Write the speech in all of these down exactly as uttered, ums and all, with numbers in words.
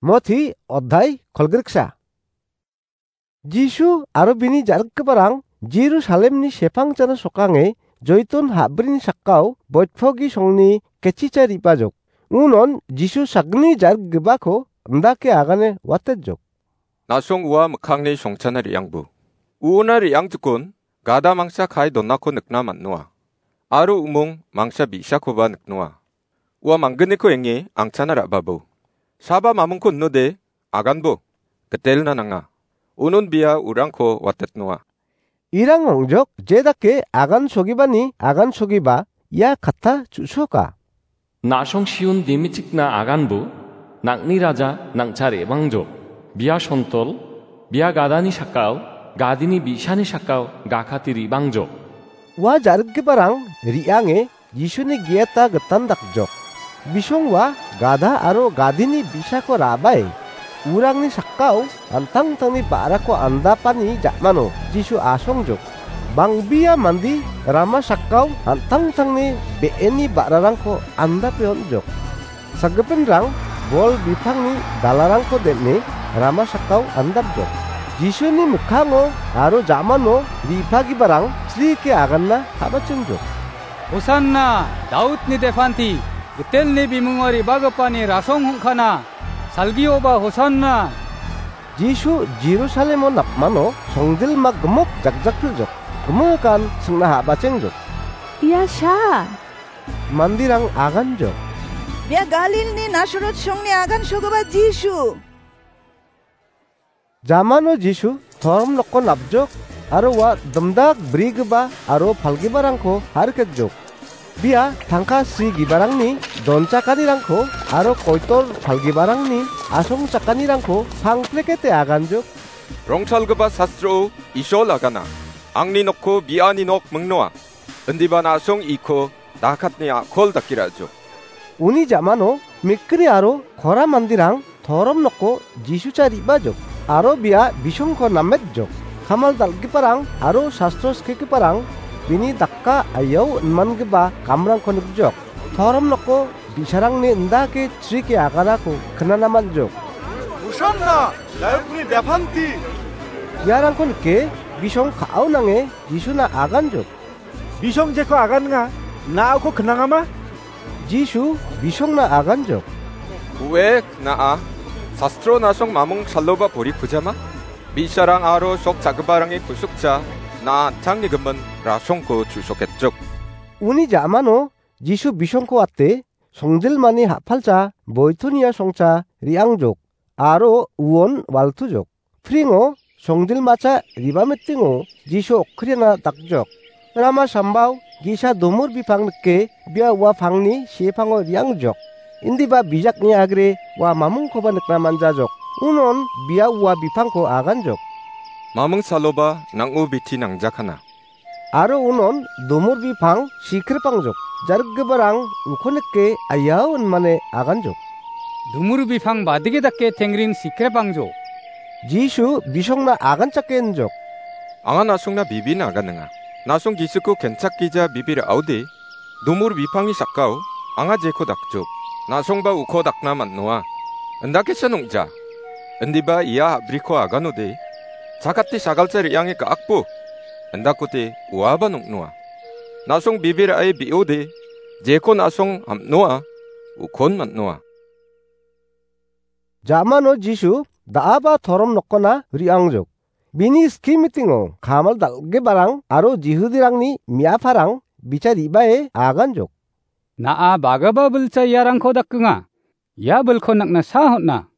Moti oddai kolgriksa. Jisu aro bini ja·rikgiparang Jerusalemni sepangchana sokange Joiton ha·brini sakao boitpogi songni ketchicha ripajok. Unon Jisu sakgni ja·rikgipako indake agane watejok. Na·song ua mikkangni songchana re·angbo. Uona re·angjikon gada mangsa kae donako nikna man·noa. Aro umong mangsa bi·sakoba niknoa. Ua manggniko enge angchana ra·babo. Saba mamingko inode aganbo. Gitelna nanga. Unon bia urangko watetnoa. Irang ong·jok jedake agan sogibani agan sogiba ia katta chu·soka. Na·song Siun dimichikna aganbo, nang·ni raja nang·cha re·bangjok. Bia sontol, bia gadani sakao, gadini bi·sani sakao gakate re·bangjok. Ua ja·rikgiparang re·ange Jisuni gieta gitan dakjok. Bisong ua gada aro gadini bi·sako ra·bae urangni sakao an·tangtangni ba·rako andapani ja·mano Jisu asongjok. Bangbia mande rama sakao an·tangtangni be·eni ba·rarangko andape on·jok. Sakgipinrang bol bipangni dalarangko den·e rama sakao andapjok. Jisuni mikkango aro ja·mano re·bagiparang srike aganna ka·bachengjok. Hosanna, Daudni depanti, Gitelni bimungo re·bagipani rasong hongkana, salgioba Hosanna. Jisu Jerusalemo napmano songjilma gimik jakjakpiljok, gimikan singna ha·bachengjok. Ia sha! Manderang aganjok. Bia Galilni Nasaret songni agan sogipa Jisu. Jamano Jisu torom nokko napjok aro ua dimdak brigipa aro palgiparangko hariketjok. Bia tangka srigiparangni donchakanirangko aro koitor palgiparangni asongchakanirangko pangplekete aganjok. Rongtalgipa sastrao Isol agana, "Angni nokko biani nok mingnoa, indiba na·song iko dakatni a·kol dake ra·jok." Uni jamano mikri aro kora manderang torom noko Jisucha re·bajok aro bia bisongko nametjok. Kamal dal·giparang aro sastro skigiparang bini dakka aiao inmangipa kamrangko nikjok. Torom noko bi·sarangni indake chrike aganako knana man·jok. Hosanna, Daudni depanti! Iarangko nike bisong ka·ao nange Jisuna aganjok. Bisong jeko agannga, na·ako knangama? Jisu bisongna aganjok. Ue, kna·a. Sastro na·song mamung saloba pori pujama? Bi·sarang aro sok cha·giparangni kusukcha na·a an·tangni gimin rasongko chu·soketjok. Uni jamano Jisu bisongko ate songjilmani ha·palcha boitonia songcha re·angjok aro uon waltujok. Pringo songjilmacha riba mitingo Jisu okkriana dakjok. Rama sambao ge·sa domur bipang nike bia ua pangni sepango re·angjok. Indiba bijakni agre ua mamungkoba nikna man·jajok. Unon bia ua bipangko aganjok. Mamung saloba nang·o biti nangjakana. Aro unon domur bipang sikripangjok. Jarikgiparang uko nike aiao inmane aganjok. Domur bipang badike dake tengrin sikripangjok. Jisu bisongna aganchake injok. Anga na·songna bibin aganinga. Na·song Jisuko kenchakgija bibi ra·ode, domur bipangni sakao anga jeko dakjok. Na·songba uko dakna man·noa. Indakesa nong·ja. Indiba ia a·briko aganode, chakate sagalcha re·ange ga·akbo. Indakode uaba nong·noa. Na·song bibi ra·e bi·ode, jeko na·song am·noa, ukon man·noa. Jamano Jisu da·aba torom nokona re·angjok. Bini ski mitingo kamal dal·giparang aro Jihudirangni me·aparang bicha re·bae aganjok. Na·a bagaba bilcha iarangko dakenga. Ia bilko nakna sa hon·a.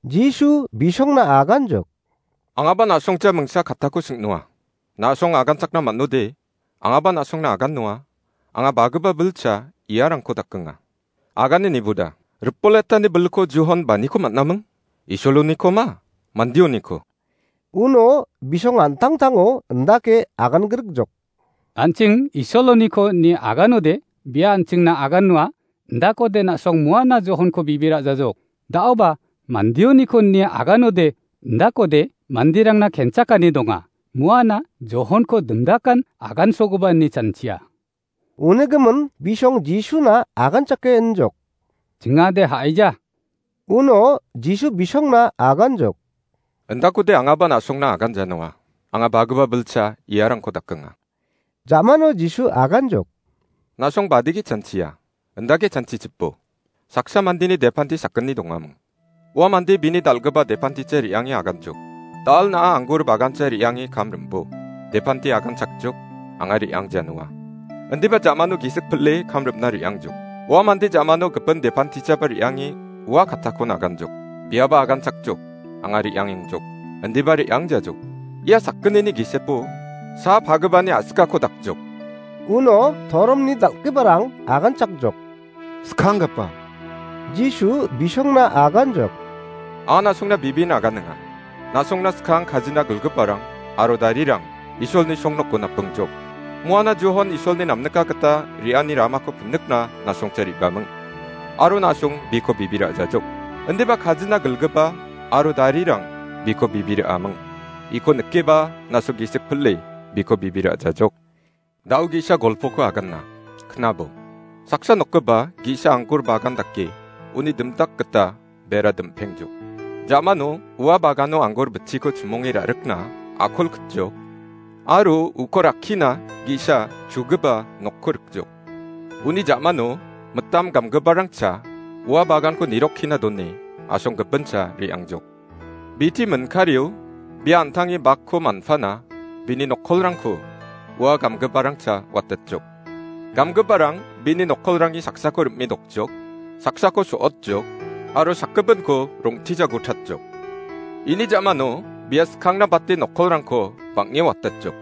Jisu bisongna aganjok. Angaba na·songcha mingsa kattako sing·noa. Na·song aganchakna man·ode, angaba na·songna agannoa. Anga bagaba bilcha iarangko dakenga. Agane niboda. Ripoletani bilko Johon baniko man·aming? Isoloniko ma? Mandioniko? Uno bisong an·tangtango indake agan grikjok. An·ching Isoloniko ine aganode, bia an·chingna agannoa, indakode na·song muana Johonko bibi ra·jajok. Da·oba mandioniko ine aganode, indakode manderangna kenchakani donga. Muana Johonko dimdakan agansogipa ine chanchia. Unigimin bisong Jisuna aganchake injok. Chingade ha·eja. Uno Jisu bisongna aganjok. Indakode angaba na·songna aganjanoa. Anga bagipa bilsa iarangko dakenga. Jamano Jisu aganjok. Na·song badigi chanchia. Indake chanchichipo. Saksa mandeni depanti sakgni dongaming. Ua mande bini dal·gipa depanticha re·ange aganjok. Dal na·a anggur bagancha re·ange kam rimbo. Depanti aganchakjok, anga re·angjanoa. Indiba jamano gisik pile kam rimna re·angjok. Ua mande jamano gipin depantichaba re·ange ua kattakon aganjok. Biaba aganchakjok, anga re·angengjok. Indiba re·angjajok. Ia sakgnini gisepo, sa pagipani a·sikako dakjok. Uno toromni dal·giparang aganchakjok. Skanggipa. Jisu bisongna aganjok. Anga na·songna bibin aganinga. Na·songna skang kajina gilgiparang aro darirang Isolni songnoko napingjok. Muana Johon Isolni namnika gita re·ani ramako pinikna na·songcha re·baming. Aro na·song biko bibira ajajok. Indiba kajina gilgipa aro darirang biko bibira aming. Iko nikeba na·song gisik pile biko bibira ajajok. Dao ge·sa golpoko aganna, knabo. Saksa nokgipa ge·sa anggur bagan dake, uni dimdak gita bera dim·pengjok. Jamano ua bagano anggur bitchiko chimonge ra·rikna akol kitjok, aro uko rakkina ge·sa chugipa nokko rikjok. Uni jamano mitam gamgiparangcha ua baganko nirokkina done asonggipincha re·angjok. Biti minkario bia an·tangni bakko manpana bini nokkolrangko ua gamgiparangcha watatjok. Gamgiparang bini nokkolrangni saksako rim·e dokjok, saksako so·otjok, aro sakgipinko rong·tija gotatjok. Ini jamano bia skangna bate nokkolrangko bang·e watatjok.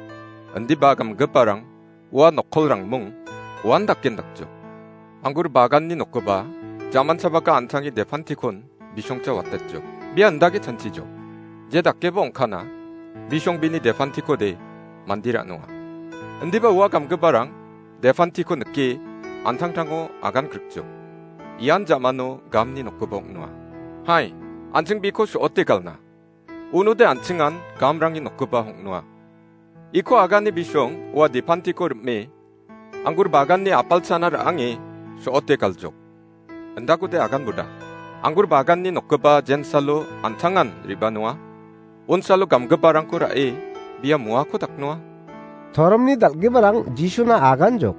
Indiba gamgiparang ua nokkolrangmung uan daken dakjok. Anggur baganni nokgipa jaman chabaka an·tangni depantikon bisongcha watatjok. Bia indake chanchijok. Je dakeba ong·kana, bisong bini depantikode mande ra·nonga. Indiba ua gamgiparang depantiko nike an·tangtango agan grikjok. Ian jamano gamni nokgipa ong·noa. Hai, an·ching biko so·ote galna. Unode an·chingan gamrangni nokgipa ong·noa. Iko agane bisong ua depantiko rim·e, anggur baganni apalchana ra·ange so·ote galjok. Indakode aganboda. Anggur baganni nokgipa jensalo an·tangan re·banoa. Unsalo gamgiparangko ra·e, bia muako daknoa. Toromni dal·giparang Jisuna aganjok.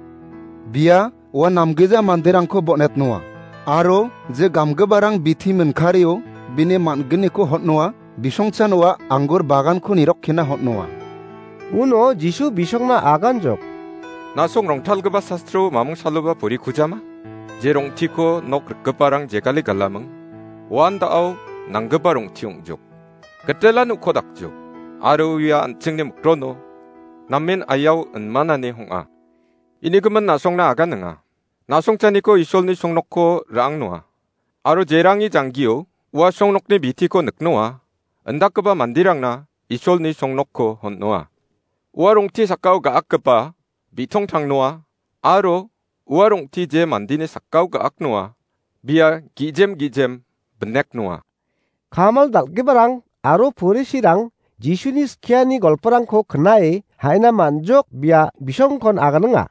Bia ua namgija manderangko bon·etnoa. Aro je gamgiparang biti minkario bini man·gniko hotnoa, bisongchan ua anggur baganko nirokkina hotnoa. Uno Jisu bisongna aganjok. Na·song rongtalgipa sastro mamung saloba puri kujama? Je rong·tiko nok rikgiparang jegale galaming, uan da·o nanggipa rong·ti ong·jok. Gitelan uko dakjok, aro uia an·chingni mikrono namen ayao inmanani hong·a. Inigimin na·songna aganinga. Na·songchaniko Isolni songnokko ra·angnoa. Aro jerangi janggio ua songnokni bitiko niknoa, indakgipa manderangna Isolni songnokko hon·noa. Ua rong·ti sakao ga·akgipa bi·tong tangnoa, aro ua rong·ti je mandeni sakao ga·aknoa, bia gijem gijem bineknoa. Kamal dal·giparang aro Porisirang Jisuni skiani golporangko knae haina man·jok bia bisongkon aganinga.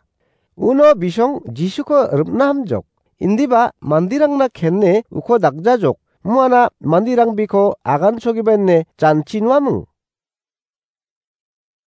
Uno bisong Jisuko rim·na hamjok. Indiba manderangna kene uko dakjajok. Muana manderang biko agansogipa ine janchi noaming.